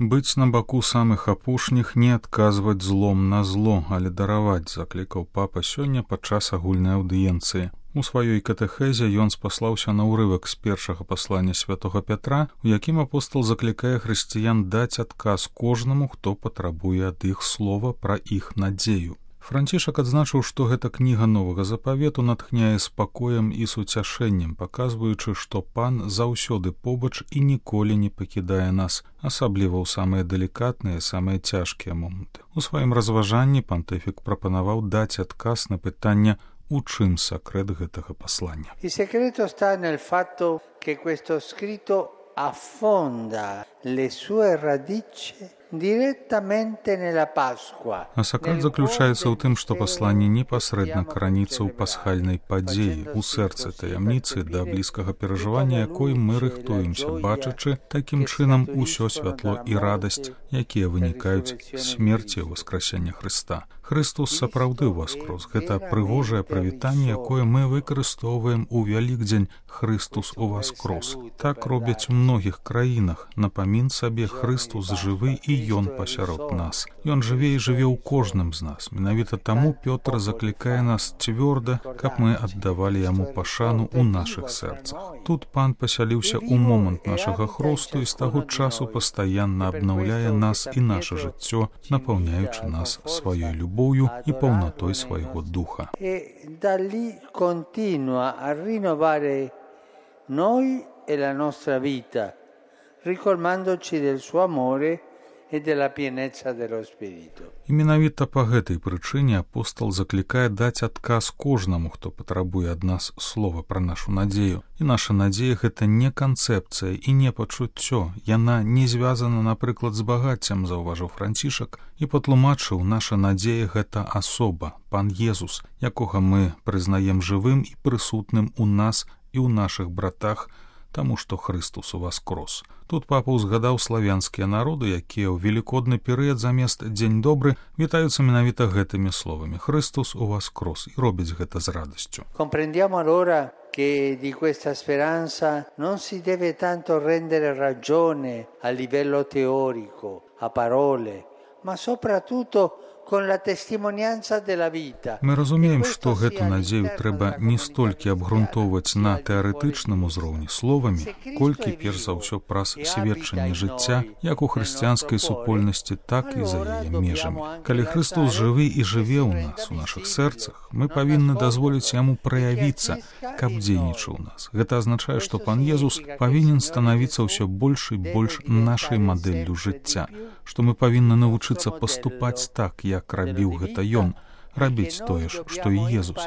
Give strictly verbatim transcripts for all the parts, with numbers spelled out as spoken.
Быць на баку самых апошніх, не адказваць злом на зло, але дараваць, заклікаў папа сёння падчас агульнай аўдыенцыі. У сваёй катэхезе ён спаслаўся на ўрывак з першага паслання святога Пятра, у якім апостал заклікае хрысціян даць адказ кожнаму, хто патрабуе ад іх слова пра іх надзею. Францішак адзначыў, што гэта кніга новага запавету натхняе спакоем і суцяшэннем, паказваючы, што пан заўсёды побач і ніколі не пакідае нас, асабліва ў самыя далікатныя, самыя цяжкія моманты. У сваім разважанні пантыфік прапанаваў даць адказ на пытанне, у чым сакрэт гэтага паслання. Il segreto sta nel fatto che questo scritto affonda le sue radici direttamente nella Pasqua. А сакрэт заключаецца ў тым, што пасланне непасрэдна караніцца ў пасхальнай падзеі, у сэрцы таямніцы, да блізкага перажывання якой мы рыхтуемся, бачачы такім чынам усё святло і радасць, якія вынікаюць з смерці ў васкрасення Хрыста. Христус сапраўды ўваскрос. Гэта прыгожае прывітанне, якое мы выкарыстоўваем у Вялікдзень «Христус уваскрос». Так робяць у многіх краінах. Напамін сабе, Христус жывы і Ён пасярод нас. Ён жыве і жыве ў кожным з нас. Менавіта таму Пётр заклікае нас цвёрда, каб мы аддавалі яму пашану ў нашых сэрцах. Тут пан пасяліўся ў момант нашага хросту і з таго часу пастаянна абнаўляе нас і наша жыццё, напаўняючы нас сваёй любов'ю і паўнатой свайго духа. E da lì continua a rinnovare noi e la nostra vita, ricolmandoci del suo amore e della pienezza dello Spirito. І менавіта па гэтай прычыне апостал заклікае даць адказ кожнаму, хто патрабуе ад нас слова пра нашу надзею. І наша надзея — гэта не канцэпцыя і не пачуццё. Яна не звязана, напрыклад, з багаццем, заўважыў Францішак, і патлумачыў, наша надзея — гэта асоба, пан Езус, якога мы прызнаем жывым і прысутным у нас і ў нашых братах, таму што Христус уваскрос. Тут папа ўзгадаў славянскія народы, якія ў велікодны перыяд замест «Дзень добры» вітаюцца менавіта гэтымі словамі «Христус уваскрос» і робяць гэта з радасцю. Comprendiamo allora che di questa speranza non si deve tanto rendere ragione a livello teorico, a parole, ma soprattutto con la testimonianza della vita. Мы разумеем, што гэту надзею трэба не столькі абгрунтоўваць на тэарэтычным узроўні словамі, колькі перш за ўсё праз сведчанне жыцця, як у хрысціянскай супольнасці, так і за яе межамі. Калі Христос жывы і жыве ў нас, у нашых сэрцах, мы павінны дазволіць яму праявіцца, каб дзейнічаў у нас. Гэта азначае, што пан Езус павінен станавіцца ўсё больш і больш нашай мадэллю жыцця, што мы павінны навучыцца паступаць так, як рабіў гэта ён, рабіць тое ж, што і Езус.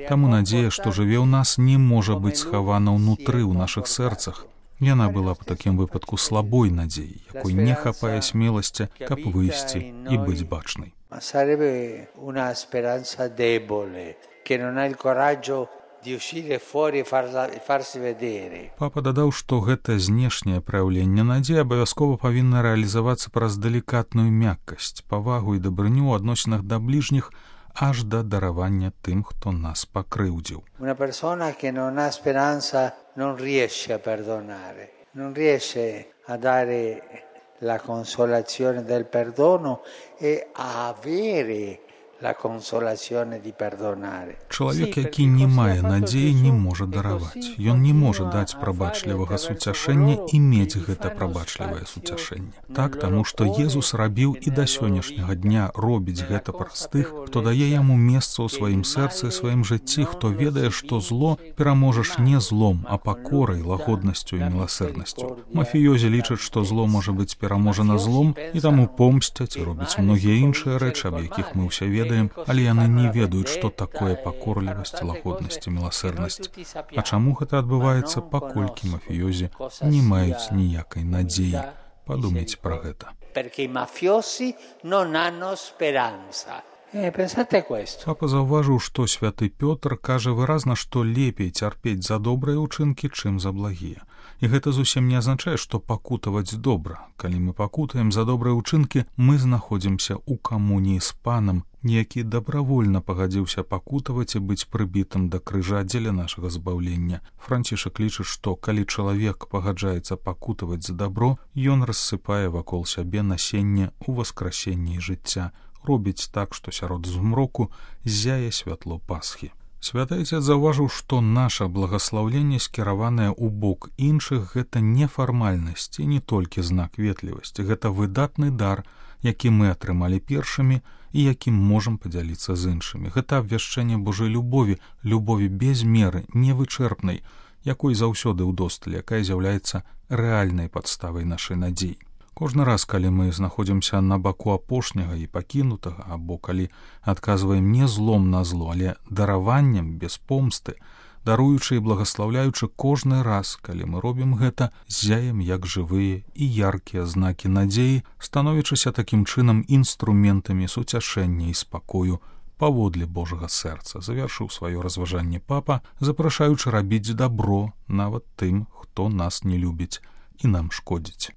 Таму надзея, што жыве ў нас, не можа быць схавана ўнутры ў нашых сэрцах. Яна была б у такім выпадку слабой надзеяй, якой не хапае смеласці, каб выйсці і быць бачнай. Sarebbe una speranza debole, che non ha il coraggio di uscire fuori e farsi vedere. Папа дадаў, што гэта знешняе праяўленне надзеі абавязкова павінна рэалізавацца праз далікатную мяккасць, павагу і дабрыню ў адносінах да бліжніх, аж да даравання тым, хто нас пакрыўдзіў. Una persona che non ha speranza non riesce a perdonare, non riesce a dare la consolazione del perdono e a avere la consolazione di perdonare. Чалавек, які не мае надзеі, не можа дараваць. Ён не можа даць прабачлівага суцяшэння і мець гэта прабачлівае суцяшэнне. Так, таму што Езус рабіў і да сённяшняга дня робіць гэта праз тых, хто дае яму месца ў сваім сэрцы, сваім жыцці, хто ведае, што зло пераможаш не злом, а пакорай, лагоднасцю і міласэрнасцю. Мафіёзі лічаць, што зло можа быць пераможана злом, і таму помсцяць і робяць многія іншыя рэчы, аб якіх мы ўсе ведаем, але яны не ведаюць, што такое пакорлівасць, лагоднасць і міласэрнасць. А чаму гэта адбываецца, паколькі мафіёзі не маюць ніякай надзеі? Падумайце пра гэта. Perché i mafiosi non hanno speranza. Eh, pensate a questo. Папа заўважыў, што святы Пётр кажа выразна, што лепей цярпець за добрыя ўчынкі, чым за благія. І гэта зусім не азначае, што пакутаваць добра. Калі мы пакутаем за добрыя ўчынкі, мы знаходзімся ў камуніі з панам, які дабравольна пагадзіўся пакутаваць і быць прыбітым да крыжа дзеля нашага збаўлення. Францішак лічыць, што калі чалавек пагаджаецца пакутаваць за дабро, ён рассыпае вакол сябе насенне ў васкрасенні жыцця, робіць так, што сярод змроку ззяе святло Пасхі. Святы Айцец заўважыў, што наша благаслаўленне, скіраванае ў бок іншых, гэта не фармальнасць і не толькі знак ветлівасці, гэта выдатны дар, які мы атрымалі першымі і якім можам падзяліцца з іншымі. Гэта абвяшчэнне Божай любові, любові без меры, невычэрпнай, якой заўсёды ўдосталь, якая з'яўляецца рэальнай падставай нашай надзеі. Кожны раз, калі мы знаходзімся на баку апошняга і пакінутага, або калі адказваем не злом на зло, але дараваннем без помсты, даруючы і благаслаўляючы кожны раз, калі мы робім гэта, ззяем як жывыя і яркія знакі надзеі, становячыся такім чынам інструментамі суцяшэння і спакою паводле Божага сэрца, завяршыў сваё разважанне папа, запрашаючы рабіць дабро нават тым, хто нас не любіць і нам шкодзіць.